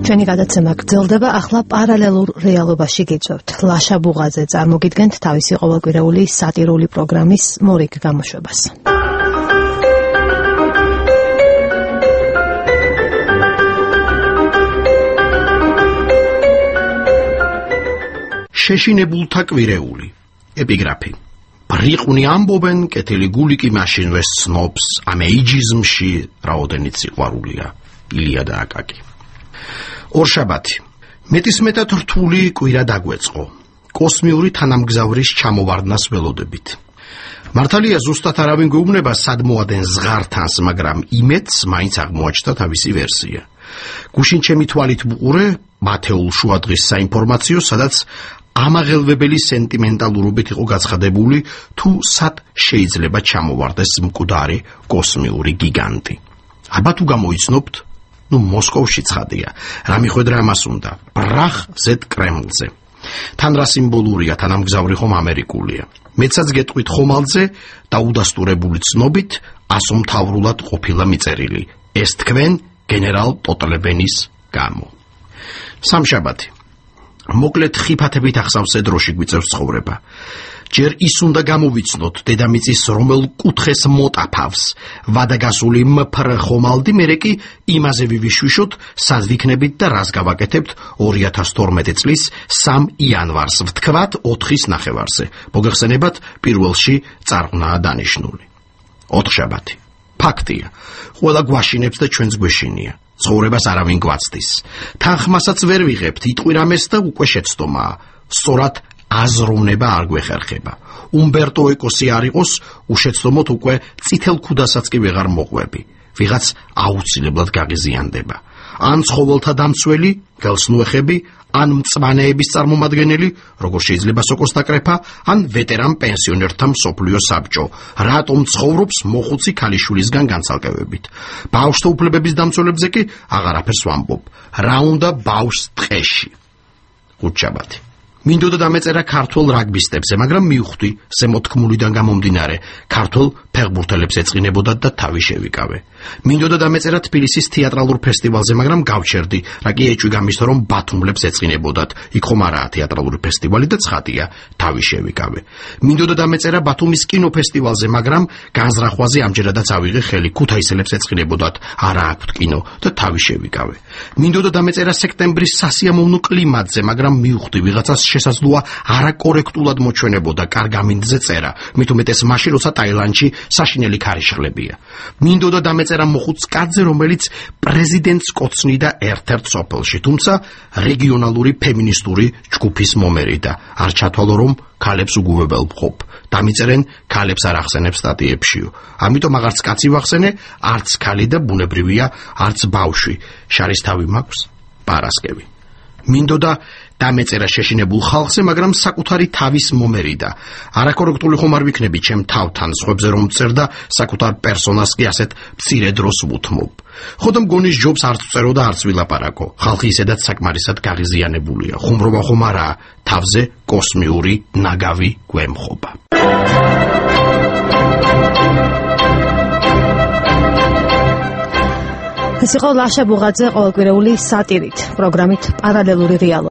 ჩვენი გადაცემა გრძელდება, ახლა პარალელურ რეალობაში გიწევთ. ლაშა ბუღაძე წარმოგიდგენთ თავისი ყოველკვირეული სატირული პროგრამის მორიგ გამოშვებას. შეშინებულთა კვირეული. ეპიგრაფი. ბრიყვნი ამბობენ, კეთილი გული კი მაშინვე სნობს, ამ ეიჯიზმში რაოდენიც სიყვარულია. ილია და აკაკი. ორშაბათი. მეტისმეტად რთული კვირა დაგვეწყო. კოსმიური თანამგზავრის ჩამოვარდნას ველოდებით. მართალია ზუსტად არავინ გვეუბნება სად მოადენ ზღართანს, მაგრამ იმედს მაინც აღმოაჩნდა თავისი ვერსია. გუშინ ჩემი თვალით ვუყურე მათეულ შუადღის საინფორმაციო, სადაც ამაღელვებელი სენტიმენტალურობით იყო გაცხადებული, თუ სად შეიძლება ჩამოვარდეს მკვდარი კოსმიური გიგანტი. აბა თუ გამოიცნობთ, მოსკოვში ცხადია, რა მიხვედრა ამას უნდა, ბრახ ზედ კრემლზე. თან რა სიმბოლურია, თანამგზავრი ხომ ამერიკულია. მეცაც გეტყვით ხომალდზე და უდასტურებული ცნობით ასომთავრულად ყოფილა მიწერილი. ეს თქვენ გენერალ ტოტლებენის გამო. სამშაბათი. მოკლედ ხიფათებით ახსავსე დროში გვიწევს ცხოვრება. ჯერ ის უნდა გამოვიცნოთ დედამიწის რომელ კუთხეს მოტაფავს ვადაგასული მფრ ხომალდი, მერე კი იმაზე ვივიშვიშოთ, სად ვიქნებით და რას გავაკეთებთ 2012 წლის 3 იანვარს, ვთქვათ 4-ის ნახევარზე. მოგეხსენებათ, პირველში წარღვნაა დანიშნული. ოთხშაბათი. ფაქტია, ყველა გვაშინებს და ჩვენც გვეშინია. ცხოვრებას არავინ გვაცდის. თანხმასაც ვერ ვიღებთ, იტყვირამეს და უკვე შეცდომაა. სწორად აზროვნება არ გვეხერხება. უმბერტო ეკოსი არ იყოს, უშეცდომოთ უკვე წითელ ქუდასაც კი ვეღარ მოყვები. ვიღაც აუცილებლად გაღიზიანდება. ან ცხოველთა დამცველი, გელსნუეხები, ან მწვანეების წარმომადგენელი, როგორ შეიძლება სოკოს დაკრეფა, ან ვეტერან პენსიონერთა მსოფლიო საბჭო. რატომ ცხოვრობს მოხუცი ქალიშვილისგან განცალკევებით. ბავშვთა უფლებების დამცველებზე კი აღარაფერს ვამბობ. რა უნდა ბავშვს ტყეში. ხუთშაბათი. მინდოდა დამეწერა ქართველ რაგბისტებზე, მაგრამ მივხვდი ზემოთქმულიდან გამომდინარე, ქართველ ფეხბურთელებს ეწყინებოდათ და თავი შევიკავე. მინდოდა დამეწერა თბილისის თეატრალურ ფესტივალზე, მაგრამ გავჩერდი, რა კი ეჭვი გამისცა, რომ ბათუმლებს ეწყინებოდათ. იქ ხომ არაა თეატრალური ფესტივალი და ცხადია, თავი შევიკავე. მინდოდა დამეწერა ბათუმის კინოფესტივალზე, მაგრამ განზრახვაზე ამჯერადაც ავიღე ხელი, ქუთაისელებს ეწყინებოდათ, არა აქვთ კინო და თავი შევიკავე. მინდოდა დამეწერა სექტემბრის სასიამოვნო კლიმატზე, მაგრამ მივხვდი ვიღაცას შესაძლოა არაკორექტულად მოჩვენებოდა კარგამინდზე წერა, მით უმეტეს მაშინ, როცა ტაილანდში საშინელი ქარიშხლებია. მინდოდა დამეწერა მოხუც კაცზე, რომელიც პრეზიდენტს კოცნიდა ერთ-ერთ სოფელში, თუმცა რეგიონალური ფემინისტური ჯგუფის მომერიდა. არ ჩათვალო, რომ ქალებს უგუვებელ ვყოფ. დამიწერენ, ქალებს არ ახსენებს სტატიებშიო. ამიტომ აღარც კაცი ვახსენე, არც ქალი და ბუნებრივია, არც ბავშვი. შარისთავი მაქვს, პარასკევი. მინდოდა დამეწერა შეშინებულ ხალხზე, მაგრამ საკუთარი თავის მომერიდა. არაკორექტული ხომ არ ვიქნები ჩემ თავთან, სხვებზე რომ წერ და საკუთარ პერსონას კი ასეთ მცირე დროს ვუთმობ. ხოდა მგონის ჯობს არც ვწერო და არც ვილაპარაკო. ხალხი ისედაც საკმარისად გაღიზიანებულია. ხუმრობა ხომ არაა, თავზე კოსმიური ნაგავი გვემხობა. ეს იყო ლაშა ბუღაძე ყოველკვირეული სატირით, პროგრამით პარალელური რეალობა.